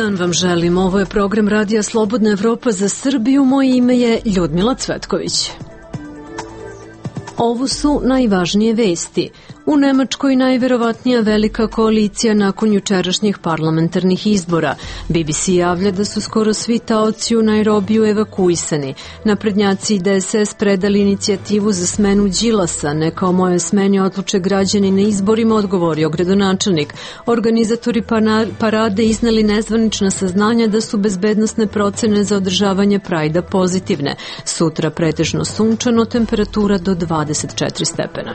dan vam želim. Ovo je program Radija Slobodna Evropa za Srbiju. Moje ime je Ljudmila Cvetković. Ovo su najvažnije vesti. U Nemačkoj najverovatnija velika koalicija nakon jučerašnjih parlamentarnih izbora. BBC javlja da su skoro svi taoci u Nairobiju evakuisani. Naprednjaci i DSS predali inicijativu za smenu Đilasa. Neka o moje smeni odluče građani na izborima, odgovorio gradonačelnik. Organizatori parade izneli nezvanična saznanja da su bezbednosne procene za održavanje Prajda pozitivne. Sutra pretežno sunčano, temperatura do 24 stepena.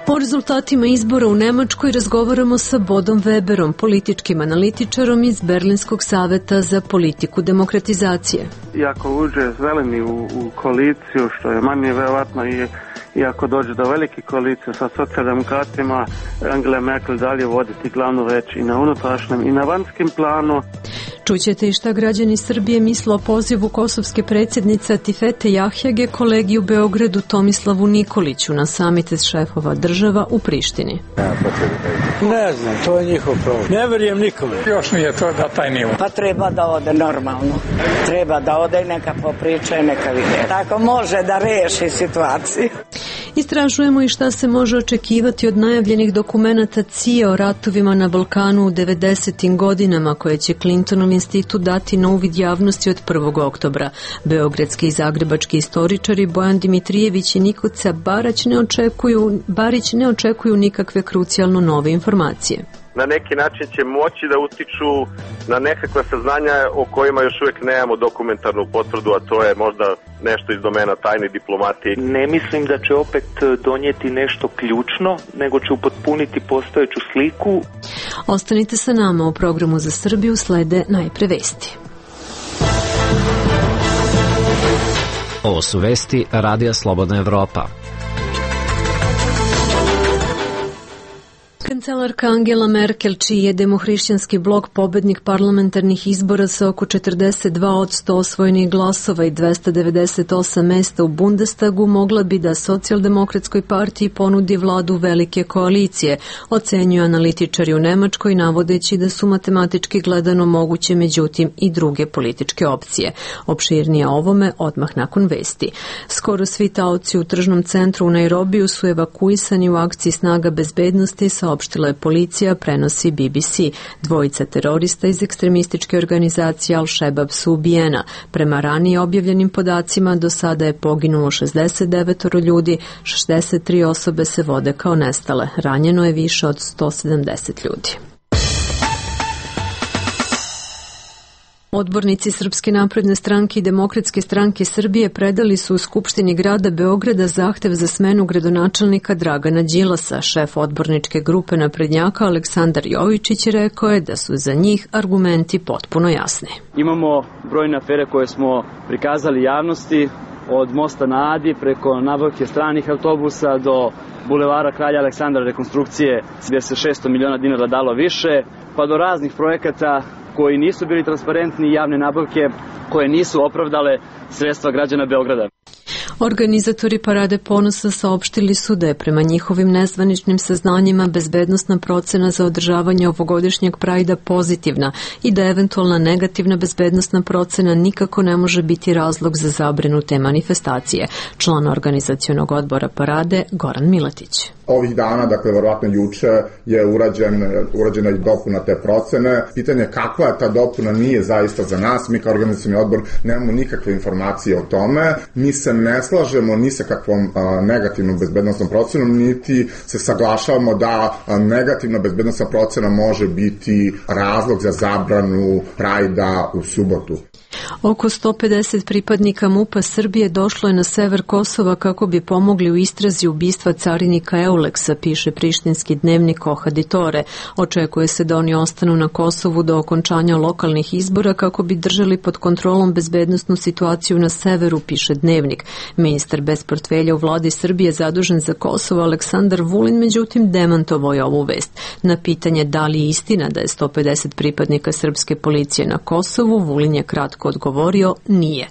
O rezultatima izbora u Nemačkoj razgovaramo sa Bodom Weberom, političkim analitičarom iz Berlinskog saveta za politiku demokratizacije. Iako uđe zeleni u koaliciju, što je manje verovatno i ako dođe do velike koalicije sa socijaldemokratima, Angela Merkel dalje voditi glavnu reč i na unutrašnjem i na vanjskim planu. Čućete i šta građani Srbije misle o pozivu kosovske predsjednice Atifete Jahjage kolegi u Beogradu Tomislavu Nikoliću na samite šefova država u Prištini. Ne znam, to je njihov problem. Ne verujem nikome. Još nije to da taj nivo. Pa treba da ode normalno. Treba da ode i neka popriča i neka vide. Tako može da reši situaciju. Istražujemo i šta se može očekivati od najavljenih dokumenata CIA o ratovima na Balkanu u 90. godinama koje će Clintonov institut dati na uvid javnosti od 1. oktobra. Beogradski i zagrebački istoričari Bojan Dimitrijević i Nikoca Barić ne očekuju nikakve krucijalno nove informacije. Na neki način će moći da utiču na nekakva saznanja o kojima još uvijek nemamo dokumentarnu potvrdu, a to je možda nešto iz domena tajne diplomatije. Ne mislim da će opet donijeti nešto ključno, nego će upotpuniti postojeću sliku. Ostanite sa nama, u programu za Srbiju slede najpre vesti. Ovo su vesti Radija Slobodna Evropa. Kancelarka Angela Merkel, čiji je demohrišćanski blok pobednik parlamentarnih izbora sa oko 42% osvojenih glasova i 298 mesta u Bundestagu, mogla bi da socijaldemokratskoj partiji ponudi vladu velike koalicije, ocenjuju analitičari u Nemačkoj, navodeći da su matematički gledano moguće međutim i druge političke opcije. Opširnije ovome odmah nakon vesti. Skoro svi taoci u tržnom centru u Nairobiju su evakuisani u akciji snaga bezbednosti, saopštila je policija, prenosi BBC. Dvojica terorista iz ekstremističke organizacije Al-Šebab su ubijena. Prema ranije objavljenim podacima, do sada je poginulo 69 ljudi, 63 osobe se vode kao nestale. Ranjeno je više od 170 ljudi. Odbornici Srpske napredne stranke i Demokratske stranke Srbije predali su u Skupštini grada Beograda zahtev za smenu gradonačelnika Dragana Đilasa. Šef odborničke grupe naprednjaka Aleksandar Jovičić rekao je da su za njih argumenti potpuno jasni. Imamo brojne afere koje smo prikazali javnosti, od mosta na Adi preko nabavke stranih autobusa do bulevara Kralja Aleksandra rekonstrukcije gdje se 600 miliona dinara dalo više, pa do raznih projekata koji nisu bili transparentni, javne nabavke koje nisu opravdale sredstva građana Beograda. Organizatori Parade ponosa saopštili su da je prema njihovim nezvaničnim saznanjima bezbednosna procena za održavanje ovogodišnjeg Prajda pozitivna i da eventualna negativna bezbednosna procena nikako ne može biti razlog za zabranu te manifestacije. Član organizacionog odbora Parade Goran Miletić. Ovih dana, dakle, verovatno juče je urađena i dopuna te procene. Pitanje je kakva je ta dopuna nije zaista za nas. Mi kao organizacioni odbor nemamo nikakve informacije o tome. Mi se ne slažemo ni sa kakvom negativnom bezbednosnom procenom, niti se saglašavamo da negativna bezbednosna procena može biti razlog za zabranu Prajda u subotu. Oko 150 pripadnika MUP-a Srbije došlo je na sever Kosova kako bi pomogli u istrazi ubistva carinika Euleksa, piše prištinski dnevnik Ohaditore. Očekuje se da oni ostanu na Kosovu do okončanja lokalnih izbora kako bi držali pod kontrolom bezbednosnu situaciju na severu, piše dnevnik. Ministar bez portfelja u vladi Srbije zadužen za Kosovo Aleksandar Vulin međutim demantovao je ovu vest. Na pitanje da li je istina da je 150 pripadnika srpske policije na Kosovu, Vulin je kratko odgovorio odgovorio nije.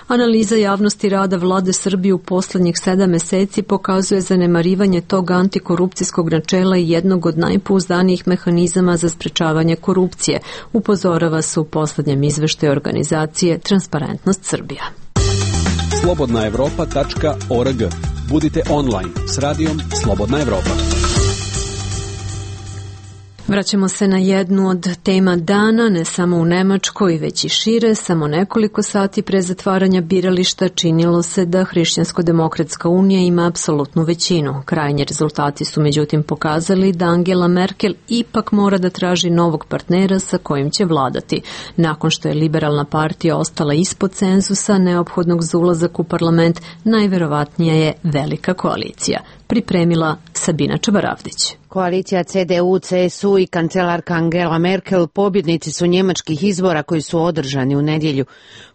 Analiza javnosti rada vlade Srbije u poslednjih 7 meseci pokazuje zanemarivanje tog antikorupcijskog načela i jednog od najpouzdanijih mehanizama za sprečavanje korupcije, upozorava se u poslednjem izveštaju organizacije Transparentnost Srbija. slobodnaevropa.org. Budite online s radijom Slobodna Evropa. Vraćamo se na jednu od tema dana, ne samo u Nemačkoj, već i šire. Samo nekoliko sati pre zatvaranja birališta činilo se da Hrišćansko-demokratska unija ima apsolutnu većinu. Krajnji rezultati su međutim pokazali da Angela Merkel ipak mora da traži novog partnera sa kojim će vladati. Nakon što je liberalna partija ostala ispod cenzusa neophodnog za ulazak u parlament, najverovatnija je velika koalicija. Pripremila Sabina Čabaravdić. Koalicija CDU, CSU i kancelarka Angela Merkel pobjednici su njemačkih izbora koji su održani u nedjelju.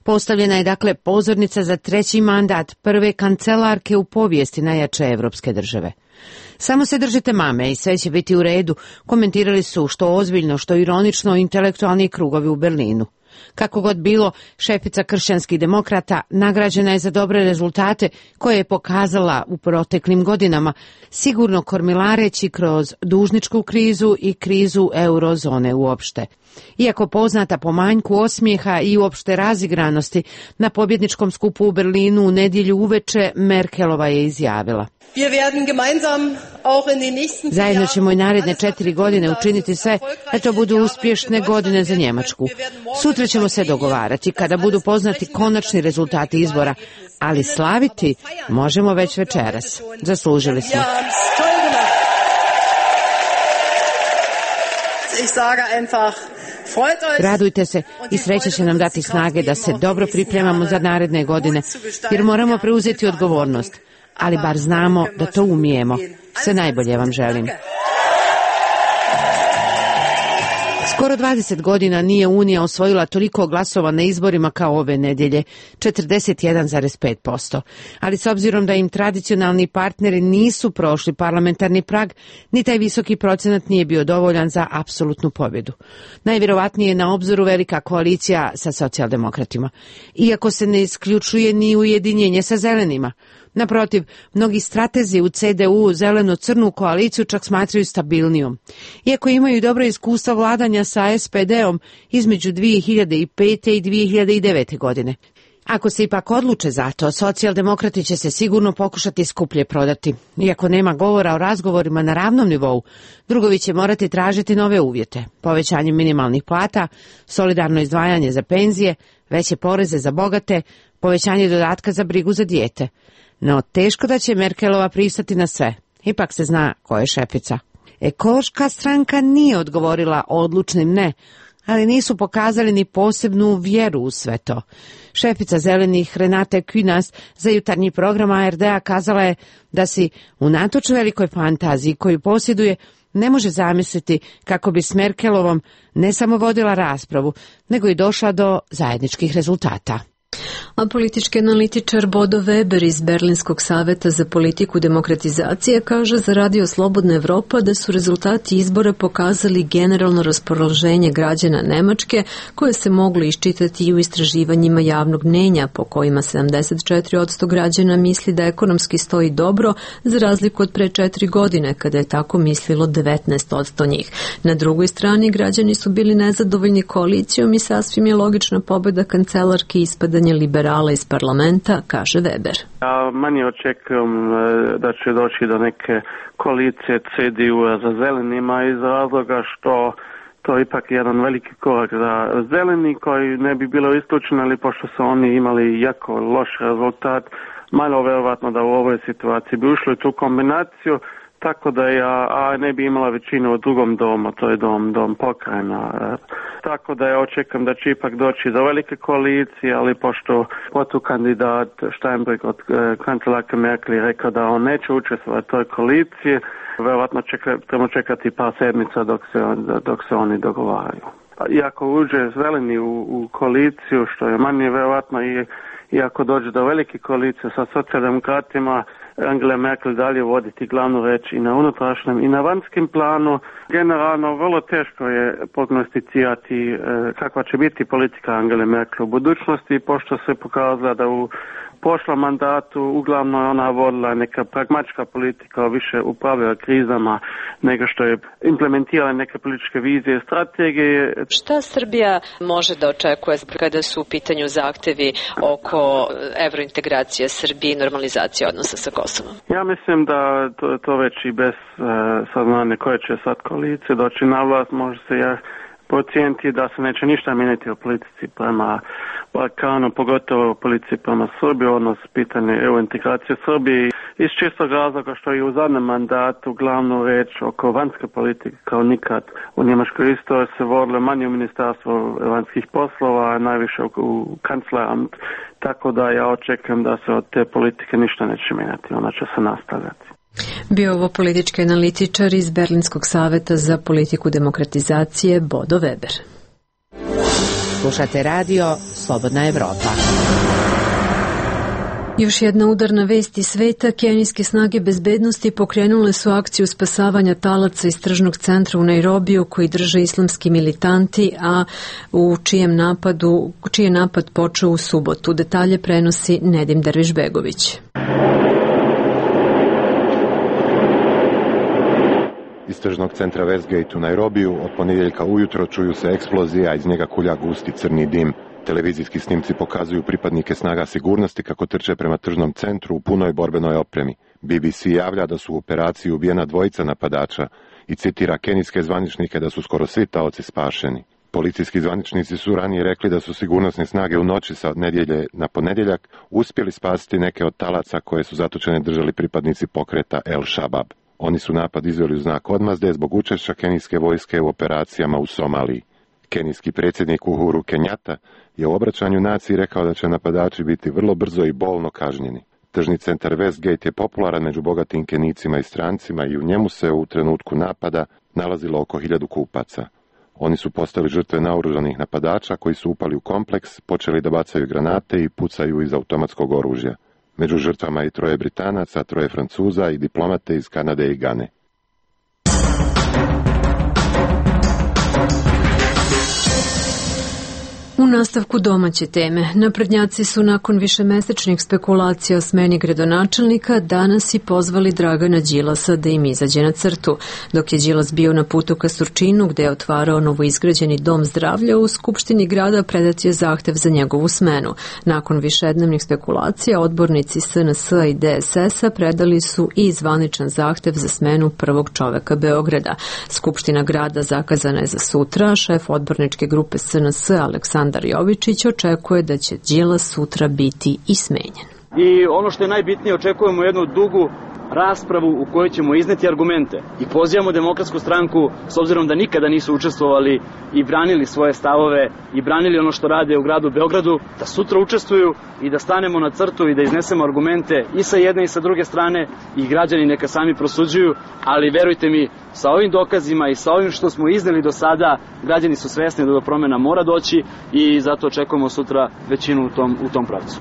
Postavljena je dakle pozornica za 3. mandat prve kancelarke u povijesti najjače evropske države. Samo se držite mame i sve će biti u redu, komentirali su što ozbiljno, što ironično intelektualni krugovi u Berlinu. Kako god bilo, šefica kršćanskih demokrata nagrađena je za dobre rezultate koje je pokazala u proteklim godinama, sigurno kormilareći kroz dužničku krizu i krizu eurozone uopšte. Iako poznata po manjku osmijeha i uopšte razigranosti, na pobjedničkom skupu u Berlinu u nedjelju uveče Merkelova je izjavila: zajedno ćemo i naredne 4 godine učiniti sve da to budu uspješne godine za Njemačku. Sutra ćemo se dogovarati kada budu poznati konačni rezultati izbora, ali slaviti možemo već večeras. Zaslužili smo. Radujte se i sreća će nam dati snage da se dobro pripremamo za naredne godine, jer moramo preuzeti odgovornost, ali bar znamo da to umijemo. Sve najbolje vam želim. Skoro 20 godina nije Unija osvojila toliko glasova na izborima kao ove nedjelje, 41,5%. Ali s obzirom da im tradicionalni partneri nisu prošli parlamentarni prag, ni taj visoki procenat nije bio dovoljan za apsolutnu pobjedu. Najvjerovatnije je na obzoru velika koalicija sa socijaldemokratima, iako se ne isključuje ni ujedinjenje sa zelenima. Naprotiv, mnogi stratezi u CDU zeleno-crnu koaliciju čak smatraju stabilnijom. Iako imaju dobro iskustva vladanja sa SPD-om između 2005. i 2009. godine. Ako se ipak odluče za to, socijaldemokrati će se sigurno pokušati skuplje prodati. Iako nema govora o razgovorima na ravnom nivou, drugovi će morati tražiti nove uvjete. Povećanje minimalnih plata, solidarno izdvajanje za penzije, veće poreze za bogate, povećanje dodatka za brigu za dijete. No, teško da će Merkelova pristati na sve. Ipak se zna ko je šefica. Ekološka stranka nije odgovorila odlučnim ne, ali nisu pokazali ni posebnu vjeru u sve to. Šefica zelenih Renate Künast za jutarnji program ARD-a kazala je da si, unatoč velikoj fantaziji koju posjeduje, ne može zamisliti kako bi s Merkelovom ne samo vodila raspravu, nego i došla do zajedničkih rezultata. A politički analitičar Bodo Weber iz Berlinskog saveta za politiku demokratizacije kaže za Radio Slobodna Evropa da su rezultati izbora pokazali generalno raspoloženje građana Nemačke koje se moglo iščitati i u istraživanjima javnog mnjenja po kojima 74% građana misli da ekonomski stoji dobro za razliku od pre 4 godine kada je tako mislilo 19% njih. Na drugoj strani građani su bili nezadovoljni koalicijom i sasvim je logična pobjeda kancelarke i ispadanje liberala iz parlamenta, kaže Weber. Ja manje očekujem da će doći do neke koalicije CDU-a za zelenima iz razloga što to je ipak jedan veliki korak za zeleni koji ne bi bilo isključeno, ali pošto su oni imali jako loš rezultat, malo verovatno da u ovoj situaciji bi ušli tu kombinaciju, tako da ja ne bi imala većinu u drugom domu, to je dom pokrajina. Tako da ja očekam da će ipak doći do velike koalicije, ali pošto protukandidat Steinbrück od kancelarke Merkel je rekao da on neće učestvovati u toj koaliciji, verovatno trebamo čekati par sedmica dok se oni dogovaraju. Iako uđe zeleni u koaliciju, što je manje verovatno i ako dođe do velike koalicije sa socijaldemokratima, Angela Merkel dalje voditi glavnu reč i na unutrašnjem i na vanjskim planu. Generalno, vrlo teško je prognosticirati kakva će biti politika Angele Merkel u budućnosti, pošto se pokazala da u prošlom mandatu uglavnom ona vodila neka pragmatička politika, više upravljala krizama nego što je implementirala neke političke vizije i strategije. Šta Srbija može da očekuje kada su u pitanju zahtevi oko evrointegracije Srbije i normalizacije odnosa sa Kosovom? Ja mislim da to već i bez saznanja koje će sad koalicije doći na vlast, može se procijeniti da se neće ništa mijenjati u politici prema Balkanu, pogotovo u politici prema Srbiji, odnos pitanje EU integracije Srbije. Iz čistog razloga što je u zadnjem mandatu glavnu reč oko vanjske politike kao nikad u Njemačkoj istoriji se vodilo manje u ministarstvu vanjskih poslova, najviše u kancleramt, tako da ja očekujem da se od te politike ništa neće mijenjati, ona će se nastavljati. Bio ovo politički analitičar iz Berlinskog saveta za politiku demokratizacije Bodo Weber. Slušate radio Slobodna Evropa. Još jedna udarna vest iz sveta, kenijske snage bezbednosti pokrenule su akciju spasavanja talaca iz tržnog centra u Nairobiju koji drže islamski militanti, a u čiji je napad počeo u subotu. Detalje prenosi Nedim Dervišbegović. Iz tržnog centra Westgate u Nairobiju od ponedjeljka ujutro čuju se eksplozije, a iz njega kulja gusti crni dim. Televizijski snimci pokazuju pripadnike snaga sigurnosti kako trče prema tržnom centru u punoj borbenoj opremi. BBC javlja da su u operaciji ubijena dvojica napadača i citira kenijske zvaničnike da su skoro svi taoci spašeni. Policijski zvaničnici su ranije rekli da su sigurnosne snage u noći sa nedjelje na ponedjeljak uspjeli spasiti neke od talaca koje su zatočene držali pripadnici pokreta El Shabab. Oni su napad izveli u znak odmazde zbog učešća kenijske vojske u operacijama u Somaliji. Kenijski predsjednik Uhuru Kenyatta je u obraćanju naciji rekao da će napadači biti vrlo brzo i bolno kažnjeni. Tržni centar Westgate je popularan među bogatim Kenijcima i strancima i u njemu se u trenutku napada nalazilo oko 1000 kupaca. Oni su postali žrtve naoružanih napadača koji su upali u kompleks, počeli da bacaju granate i pucaju iz automatskog oružja. Među žrtvama i 3 Britanaca, 3 Francuza i diplomate iz Kanade i Gane. U nastavku domaće teme, naprednjaci su nakon višemesečnih spekulacija o smeni gradonačelnika danas i pozvali Dragana Đilasa da im izađe na crtu. Dok je Đilas bio na putu ka Surčinu, gde je otvarao novoizgrađeni dom zdravlja, u Skupštini grada predat je zahtev za njegovu smenu. Nakon višednevnih spekulacija, odbornici SNS-a i DSS-a predali su i zvaničan zahtev za smenu prvog čoveka Beograda. Skupština grada zakazana je za sutra, šef odborničke grupe SNS Aleksandar Jovičić očekuje da će Đilas sutra biti i smenjen. I ono što je najbitnije, očekujemo jednu dugu raspravu u kojoj ćemo izneti argumente i pozivamo Demokratsku stranku, s obzirom da nikada nisu učestvovali i branili svoje stavove i branili ono što rade u gradu Beogradu, da sutra učestvuju i da stanemo na crtu i da iznesemo argumente i sa jedne i sa druge strane i građani neka sami prosuđuju, ali verujte mi, sa ovim dokazima i sa ovim što smo izneli do sada, građani su svesni da do promjena mora doći i zato očekujemo sutra većinu u tom pravcu.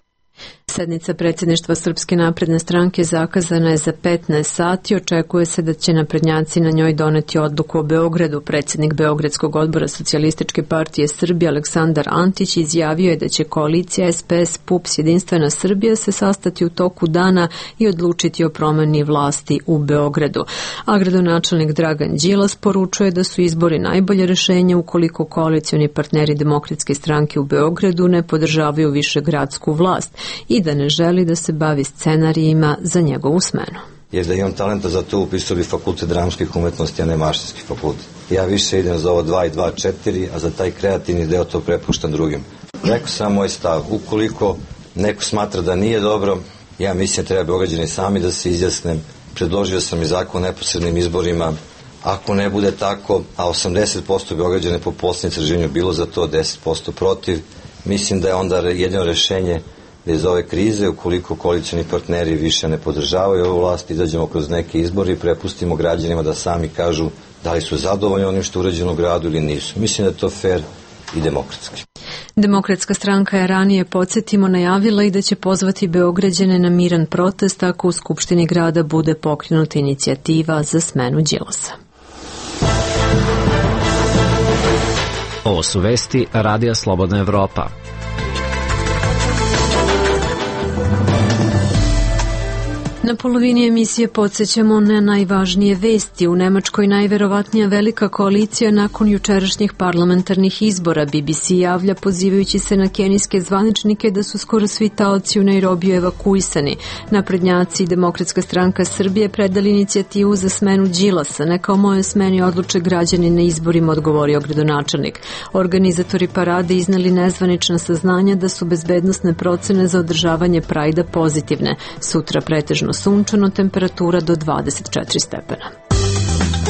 Sednica predsjedništva Srpske napredne stranke zakazana je za 15 sati. Očekuje se da će naprednjaci na njoj doneti odluku o Beogradu. Predsjednik Beogradskog odbora Socijalističke partije Srbije Aleksandar Antić izjavio je da će koalicija SPS PUPS Jedinstvena Srbija se sastati u toku dana i odlučiti o promjeni vlasti u Beogradu. A gradonačelnik Dragan Đilas poručuje da su izbori najbolje rješenje ukoliko koalicioni partneri Demokratske stranke u Beogradu ne podržavaju višegradsku vlast i da ne želi da se bavi scenarijima za njegovu smenu. Jer da imam talenta za to, upisao bi fakultet dramskih umetnosti, a ne mašinski fakultet. Ja više idem za ovo 2 i 2, 4, a za taj kreativni deo to prepuštam drugim. Rekao sam moj stav, ukoliko neko smatra da nije dobro, ja mislim da treba Beograđani sami da se izjasne. Predložio sam i zakon o neposrednim izborima. Ako ne bude tako, a 80% Beograđana po posljednjem istraživanju bilo za to, 10% protiv, mislim da je onda jedino rešenje da iz ove krize, ukoliko koalicioni partneri više ne podržavaju ovu vlast, izađemo kroz neke izbore i prepustimo građanima da sami kažu da li su zadovoljni onim što je urađeno u gradu ili nisu. Mislim da je to fair i demokratski. Demokratska stranka je ranije, podsjetimo, najavila i da će pozvati Beograđane na miran protest ako u Skupštini grada bude pokrenuta inicijativa za smenu Đilasa. Ovo su vesti Radija Slobodna Evropa. Na polovini emisije podsjećamo na najvažnije vesti. U Nemačkoj najverovatnija velika koalicija nakon jučerašnjih parlamentarnih izbora. BBC javlja pozivajući se na kenijske zvaničnike da su skoro svi taoci u Nairobiju evakuisani. Naprednjaci i Demokratska stranka Srbije predali inicijativu za smenu Đilasa. Neka o mojoj smeni odluče građani na izborima, odgovorio gradonačelnik. Organizatori parade izneli nezvanična saznanja da su bezbednosne procene za održavanje Prajda pozitivne. Sutra pretežno sunčano, temperatura do 24 stepena.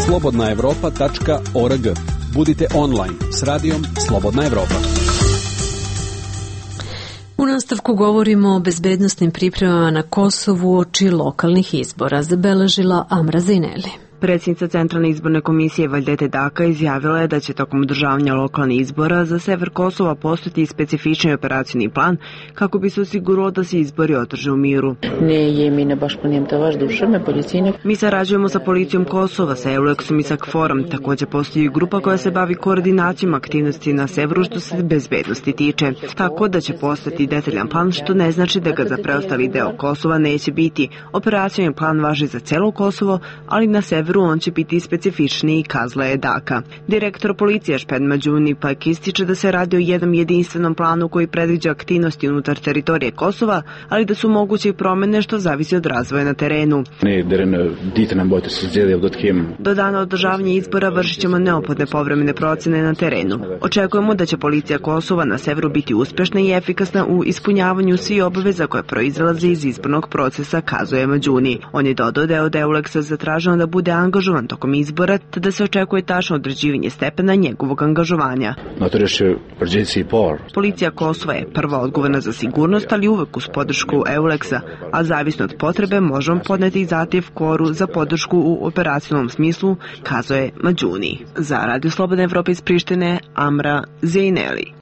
slobodnaevropa.org. Budite online s radijom Slobodna Evropa. U nastavku govorimo o bezbednosnim pripremama na Kosovu uoči lokalnih izbora, zabeležila Amra Zineli. Predsjednica Centralne izborne komisije Vajdete Daka izjavila je da će tokom održavanja lokalnih izbora za sever Kosova postojati specifični operacijni plan kako bi se osiguralo da se izbori održe u miru. Mi sarađujemo sa policijom Kosova, sa EULEX-om i sa KFOR-om. Također postoji grupa koja se bavi koordinacijom aktivnosti na severu što se bezbednosti tiče. Tako da će postati detaljan plan, što ne znači da ga za preostali deo Kosova neće biti. Operacijni plan važi za celo Kosovo, ali na severu on će biti specifičniji, kazala je Daka. Direktor policije Šped Mađuni pak ističe da se radi o jednom jedinstvenom planu koji predviđa aktivnosti unutar teritorije Kosova, ali da su moguće i promene što zavisi od razvoja na terenu. Do dana održavanja izbora vršit ćemo neophodne povremene procene na terenu. Očekujemo da će policija Kosova na severu biti uspešna i efikasna u ispunjavanju svih obaveza koje proizilaze iz izbornog procesa, kazuje Mađuni. On je dodao da je od EULEX-a zatraženo da bude angažovan tokom izbora, te da se očekuje tačno određivanje stepena njegovog angažovanja. Policija Kosova je prva odgovorna za sigurnost, ali uvek uz podršku EULEX-a, a zavisno od potrebe možemo podneti i zahtjev KFOR-u za podršku u operacionalnom smislu, kazuje Mađuni. Za Radio Slobodna Evropa iz Prištine, Amra Zineli.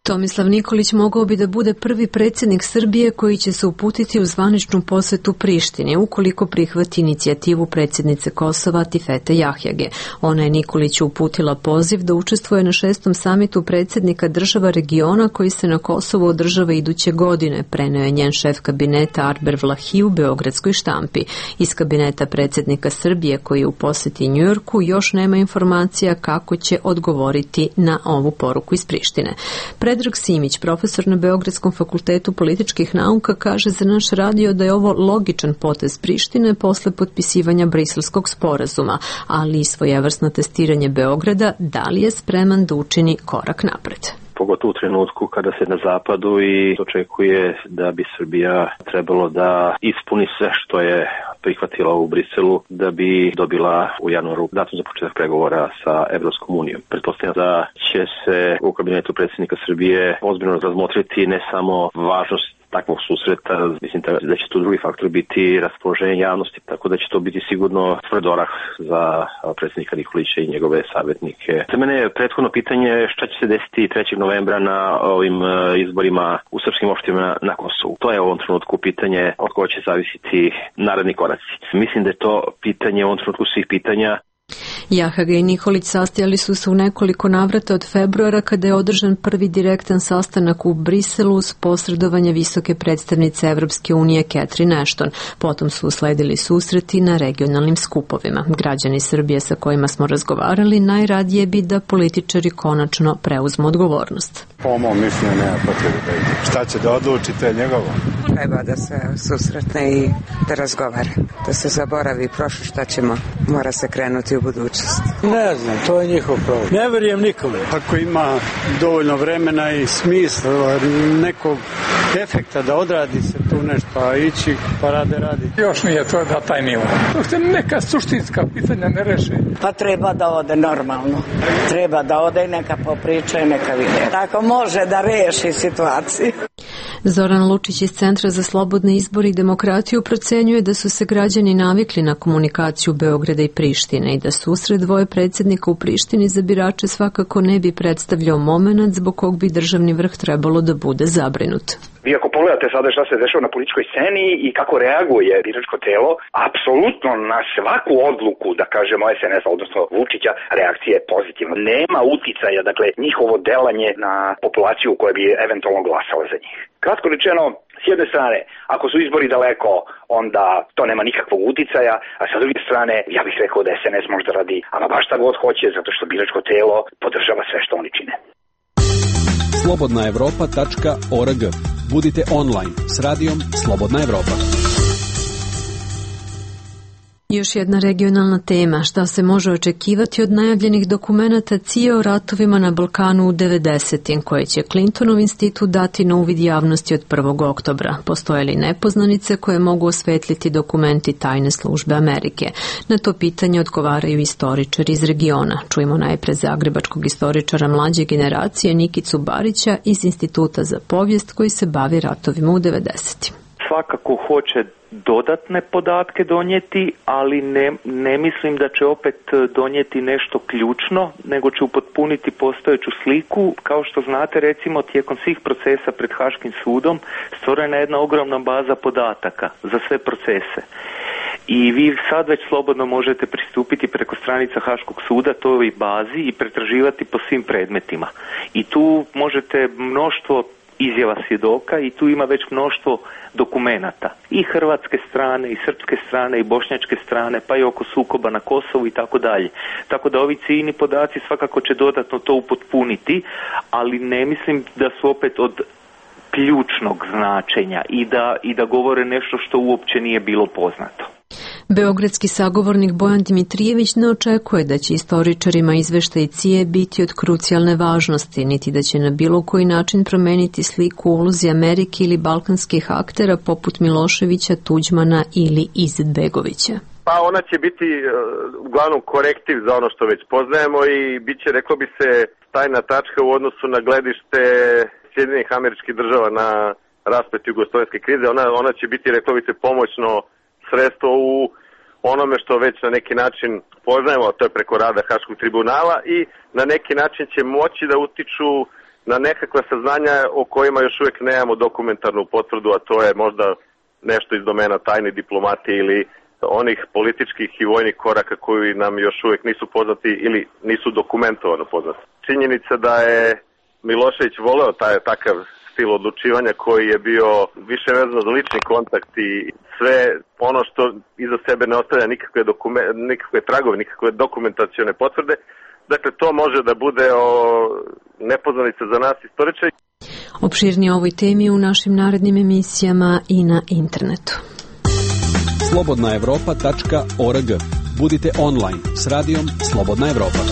Tomislav Nikolić mogao bi da bude prvi predsjednik Srbije koji će se uputiti u zvaničnu posetu Prištini ukoliko prihvati inicijativu predsjednice Kosova Tifete Jahjage. Ona je Nikoliću uputila poziv da učestvuje na 6. samitu predsjednika država regiona koji se na Kosovu održava iduće godine, preneo je njen šef kabineta Arber Vlahi u beogradskoj štampi. Iz kabineta predsjednika Srbije koji je u poseti Njujorku još nema informacija kako će odgovoriti na ovu poruku iz Prištine. Predrag Simić, profesor na Beogradskom fakultetu političkih nauka, kaže za naš radio da je ovo logičan potez Prištine posle potpisivanja Briselskog sporazuma, ali i svojevrsno testiranje Beograda, da li je spreman da učini korak napred. Pogotovo u trenutku kada se na zapadu i očekuje da bi Srbija trebalo da ispuni sve što je prihvatila u Briselu da bi dobila u januaru datum za početak pregovora sa Evropskom unijom. Pretpostavljam da će se u kabinetu predsjednika Srbije ozbiljno razmotriti ne samo važnost takvog susreta, mislim da će tu drugi faktor biti raspoloženje javnosti, tako da će to biti sigurno tvrd orah za predsjednika Nikolića i njegove savjetnike. Za mene je prethodno pitanje šta će se desiti 3. novembra na ovim izborima u srpskim opštinama na Kosovu. To je u ovom trenutku pitanje od koje će zavisiti naredni koraci. Mislim da je to pitanje u ovom trenutku svih pitanja. Jahage i Nikolić sastajali su se u nekoliko navrata od februara kada je održan prvi direktan sastanak u Briselu uz posredovanje visoke predstavnice Evropske unije Catherine Ashton. Potom su usledili susreti na regionalnim skupovima. Građani Srbije sa kojima smo razgovarali najradije bi da političari konačno preuzmu odgovornost. Po mom mišljenju nema potrebe da ide. Šta će da odluči, to je njegovo. Treba da se susretne i da razgovara. Da se zaboravi prošlo šta ćemo. Mora se krenuti u budućnost. Ne znam, to je njihov problem. Ne verujem nikome. Ako ima dovoljno vremena i smisla nekog efekta da odradi se tu nešto, a ići pa radi. Još nije to da taj nivo. To se neka suštinska pitanja ne reše. Pa treba da ode normalno. Treba da ode i neka popriča i neka vide. Tako može da reši situaciju. Zoran Lučić iz Centra za slobodne izbore i demokratiju procenjuje da su se građani navikli na komunikaciju Beograda i Prištine i da susret dvoje predsjednika u Prištini za birače svakako ne bi predstavljao momenat zbog kog bi državni vrh trebalo da bude zabrinut. Vi ako pogledate sada šta se dešava na političkoj sceni i kako reaguje biračko telo, apsolutno na svaku odluku, da kažemo SNS, odnosno Vučića, reakcija je pozitivna. Nema uticaja, dakle, njihovo delanje na populaciju koja bi eventualno glasala za njih. Kratko rečeno, s jedne strane, ako su izbori daleko, onda to nema nikakvog uticaja, a sa druge strane, ja bih rekao da SNS možda radi ama baš šta god hoće, zato što biračko telo podržava sve što oni čine. slobodnaevropa.org. Budite online s radijom Slobodna Evropa. Još jedna regionalna tema, šta se može očekivati od najavljenih dokumenata CIA o ratovima na Balkanu u 90. koje će Clintonov institut dati na uvid javnosti od 1. oktobra. Postoje li nepoznanice koje mogu osvetliti dokumenti tajne službe Amerike? Na to pitanje odgovaraju istoričari iz regiona. Čujemo najpre zagrebačkog istoričara mlađe generacije Nikicu Barića iz Instituta za povijest koji se bavi ratovima u 90. Svakako hoće dodatne podatke donijeti, ali ne mislim da će opet donijeti nešto ključno, nego će upotpuniti postojeću sliku. Kao što znate, recimo, tijekom svih procesa pred Haškim sudom stvorena je jedna ogromna baza podataka za sve procese. I vi sad već slobodno možete pristupiti preko stranica Haškog suda toj bazi i pretraživati po svim predmetima. I tu možete mnoštvo izjava svjedoka i tu ima već mnoštvo dokumenata i hrvatske strane i srpske strane i bošnjačke strane pa i oko sukoba na Kosovu i tako dalje. Tako da ovi ciljni podaci svakako će dodatno to upotpuniti, ali ne mislim da su opet od ključnog značenja i da govore nešto što uopće nije bilo poznato. Beogradski sagovornik Bojan Dimitrijević ne očekuje da će istoričarima izveštaj CIA biti od krucijalne važnosti, niti da će na bilo koji način promeniti sliku o ulozi Amerike ili balkanskih aktera poput Miloševića, Tuđmana ili Izetbegovića. Pa ona će biti uglavnom korektiv za ono što već poznajemo i bit će, reklo bi se, tajna tačka u odnosu na gledište Sjedinjenih Američkih Država na rasplet jugoslovenske krize. Ona će biti, reklo bi se, pomoćno sredstvo u onome što već na neki način poznajemo, a to je preko rada Haškog tribunala i na neki način će moći da utiču na nekakva saznanja o kojima još uvijek nemamo dokumentarnu potvrdu, a to je možda nešto iz domena tajne diplomatije ili onih političkih i vojnih koraka koji nam još uvijek nisu poznati ili nisu dokumentovano poznati. Činjenica da je Milošević voleo takav stil odlučivanja koji je bio više vezano za lični kontakt i sve ono što iza sebe ne ostavlja nikakve tragove, nikakve dokumentacione potvrde. Dakle, to može da bude nepoznanica za nas istoričari. Opširnije o ovoj temi u našim narednim emisijama i na internetu. slobodnaevropa.org. Budite online s radijom Slobodna Evropa.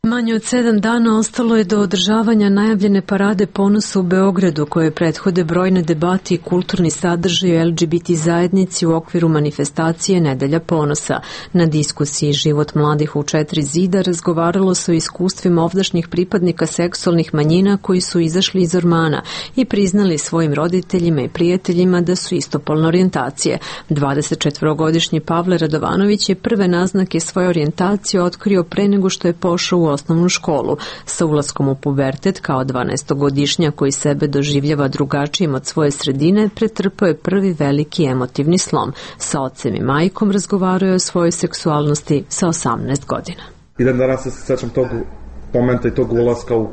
Manje od 7 dana ostalo je do održavanja najavljene parade ponosa u Beogradu, koje prethode brojne debati i kulturni sadržaj o LGBT zajednici u okviru manifestacije Nedelja ponosa. Na diskusiji Život mladih u 4 zida razgovaralo se o iskustvima ovdašnjih pripadnika seksualnih manjina koji su izašli iz ormana i priznali svojim roditeljima i prijateljima da su istopolne orijentacije. 24-godišnji Pavle Radovanović je prve naznake svoje orijentacije otkrio pre nego što je pošao u osnovnu školu. Sa ulaskom u pubertet kao 12-godišnja koji sebe doživljava drugačijim od svoje sredine, pretrpao je prvi veliki emotivni slom. Sa ocem i majkom razgovarao je o svojoj seksualnosti sa 18 godina. I dan danas se sećam tog momenta i tog ulaska u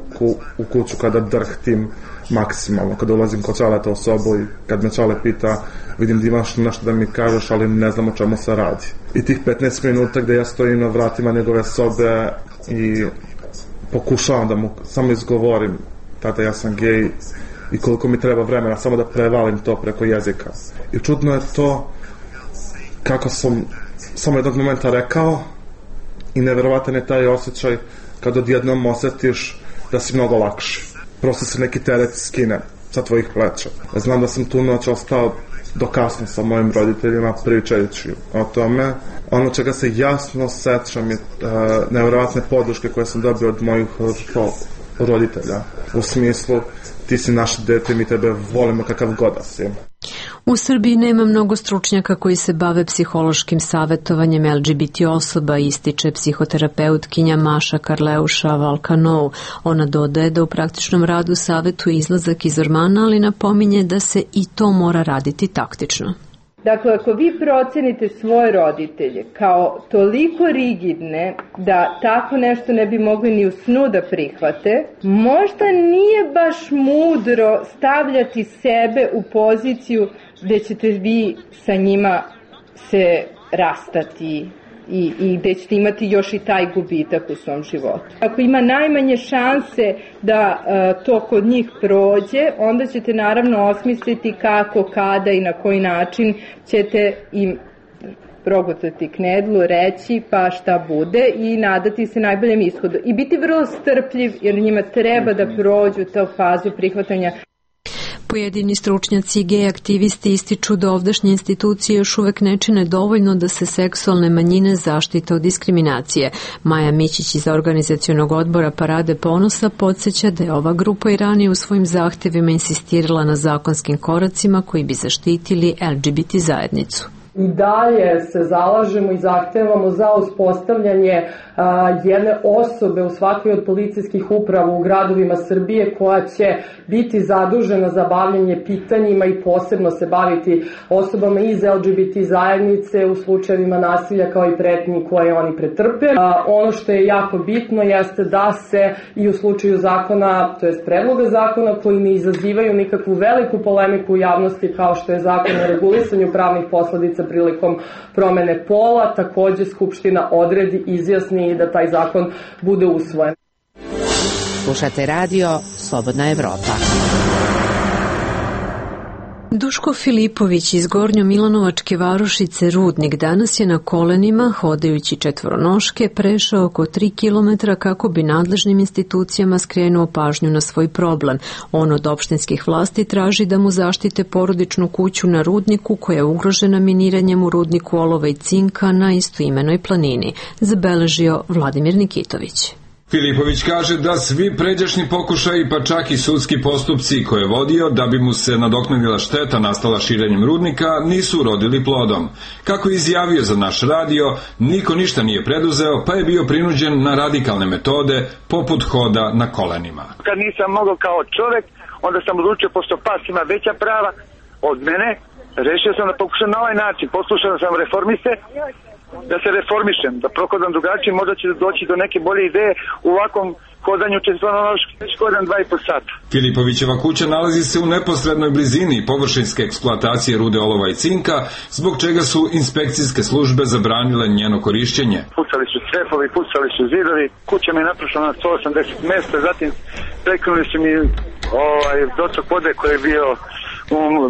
kuću kada drhtim maksimalno, kada ulazim kod Čaleta u sobu i kad me Čale pita, vidim da imaš nešto da mi kažeš, ali ne znam o čemu se radi. I tih 15 minuta gde ja stojim na vratima njegove sobe i pokušavam da mu samo izgovorim tada ja sam gej i koliko mi treba vremena samo da prevalim to preko jezika. I čudno je to kako sam samo jednog momenta rekao i neverovatan je taj osjećaj kad odjednom osjetiš da si mnogo lakši. Prosto se neki teret skine sa tvojih pleća. Znam da sam tu noć ostao do kasno sa mojim roditeljima pričajući o tome. Ono čega se jasno sećam je nevjerovatne podrške koje sam dobio od mojih roditelja. U smislu, ti si naše dete, mi tebe volimo kakav god da si. U Srbiji nema mnogo stručnjaka koji se bave psihološkim savjetovanjem LGBT osoba, ističe psihoterapeutkinja Maša Karleuša-Valkanov. Ona dodaje da u praktičnom radu savjetuje izlazak iz ormana, ali napominje da se i to mora raditi taktično. Dakle, ako vi procenite svoje roditelje kao toliko rigidne da tako nešto ne bi mogli ni u snu da prihvate, možda nije baš mudro stavljati sebe u poziciju gde ćete vi sa njima se rastati i gde ćete imati još i taj gubitak u svom životu. Ako ima najmanje šanse da to kod njih prođe, onda ćete naravno osmisliti kako, kada i na koji način ćete im progutati knedlu, reći pa šta bude i nadati se najboljem ishodu. I biti vrlo strpljiv jer njima treba da prođu tu fazu prihvatanja. Pojedini stručnjaci i gej aktivisti ističu da ovdašnje institucije još uvek ne čine dovoljno da se seksualne manjine zaštite od diskriminacije. Maja Mićić iz organizacionog odbora Parade ponosa podsjeća da je ova grupa i ranije u svojim zahtevima insistirala na zakonskim koracima koji bi zaštitili LGBT zajednicu. I dalje se zalažemo i zahtevamo za uspostavljanje jedne osobe u svakoj od policijskih uprava u gradovima Srbije koja će biti zadužena za bavljanje pitanjima i posebno se baviti osobama iz LGBT zajednice u slučajevima nasilja kao i pretnji koje oni pretrpe. Ono što je jako bitno jeste da se i u slučaju zakona, to jest predloga zakona koji ne izazivaju nikakvu veliku polemiku u javnosti kao što je zakon o regulisanju pravnih posledica prilikom promene pola, takođe Skupština odredi, izjasni da taj zakon bude usvojen. Slušate radio Slobodna Evropa. Duško Filipović iz Gornjo-Milanovačke varošice Rudnik danas je na kolenima, hodajući četvoronoške, prešao oko 3 kilometra kako bi nadležnim institucijama skrenuo pažnju na svoj problem. On od opštinskih vlasti traži da mu zaštite porodičnu kuću na Rudniku koja je ugrožena miniranjem u rudniku olova i cinka na istoimenoj planini, zabeležio Vladimir Nikitović. Filipović kaže da svi pređašnji pokušaji, pa čak i sudski postupci koje je vodio da bi mu se nadoknadila šteta nastala širenjem rudnika nisu urodili plodom. Kako je izjavio za naš radio, niko ništa nije preduzeo, pa je bio prinuđen na radikalne metode poput hoda na kolenima. Kad nisam mogao kao čovek, onda sam odlučio, pošto pas ima veća prava od mene, rešio sam da pokušam na ovaj način. Poslušao sam reformiste, da se reformišem, da prohodam drugačije, možda će doći do neke bolje ideje u ovakvom hodanju četvoronoški, već hodam 2,5 sata. Filipovićeva kuća nalazi se u neposrednoj blizini površinske eksploatacije rude olova i cinka, zbog čega su inspekcijske službe zabranile njeno korišćenje. Pucali su crepovi, pucali su zidovi, kuća mi je naprošla na 180 mesta, zatim prekinuli su mi dotok vode koji je bio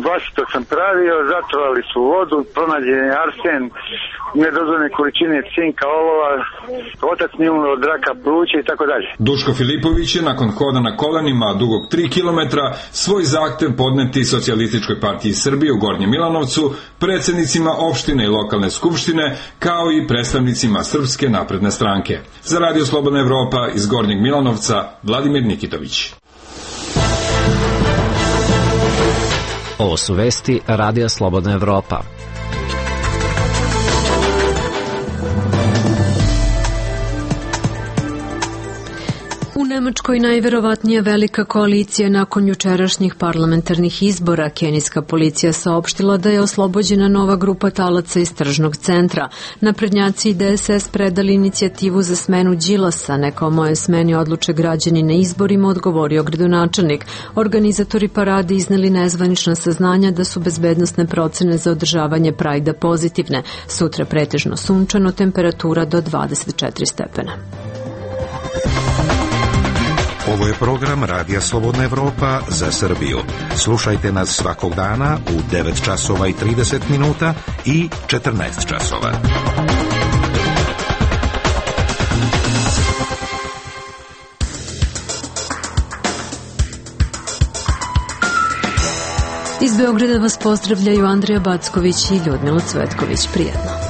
vlastito sam pravio, zatrovali su vodu, pronađen je arsen, nedozvoljene količine cinka, olova, otac nije umro od raka pluća i tako dalje. Duško Filipović je nakon hoda na kolenima dugog 3 kilometra svoj zahtev podneti Socijalističkoj partiji Srbije u Gornjem Milanovcu, predsjednicima opštine i lokalne skupštine, kao i predstavnicima Srpske napredne stranke. Za Radio Slobodna Evropa iz Gornjeg Milanovca, Vladimir Nikitović. Ovo su vesti Radija Slobodna Evropa. U Nemačkoj najverovatnija velika koalicija nakon jučerašnjih parlamentarnih izbora. Kenijska policija saopštila da je oslobođena nova grupa talaca iz tržnog centra. Naprednjaci i DSS predali inicijativu za smenu Đilasa. Neka o moje smeni odluče građani na izborima, odgovorio gradonačelnik. Organizatori parade izneli nezvanična saznanja da su bezbednosne procene za održavanje Prajda pozitivne. Sutra pretežno sunčano, temperatura do 24 stepena. Ovo je program Radija Slobodna Evropa za Srbiju. Slušajte nas svakog dana u 9 časova i 30 minuta i 14 časova. Iz Beograda vas pozdravljaju Andrija Backović i Ljudmila Cvetković. Prijetno.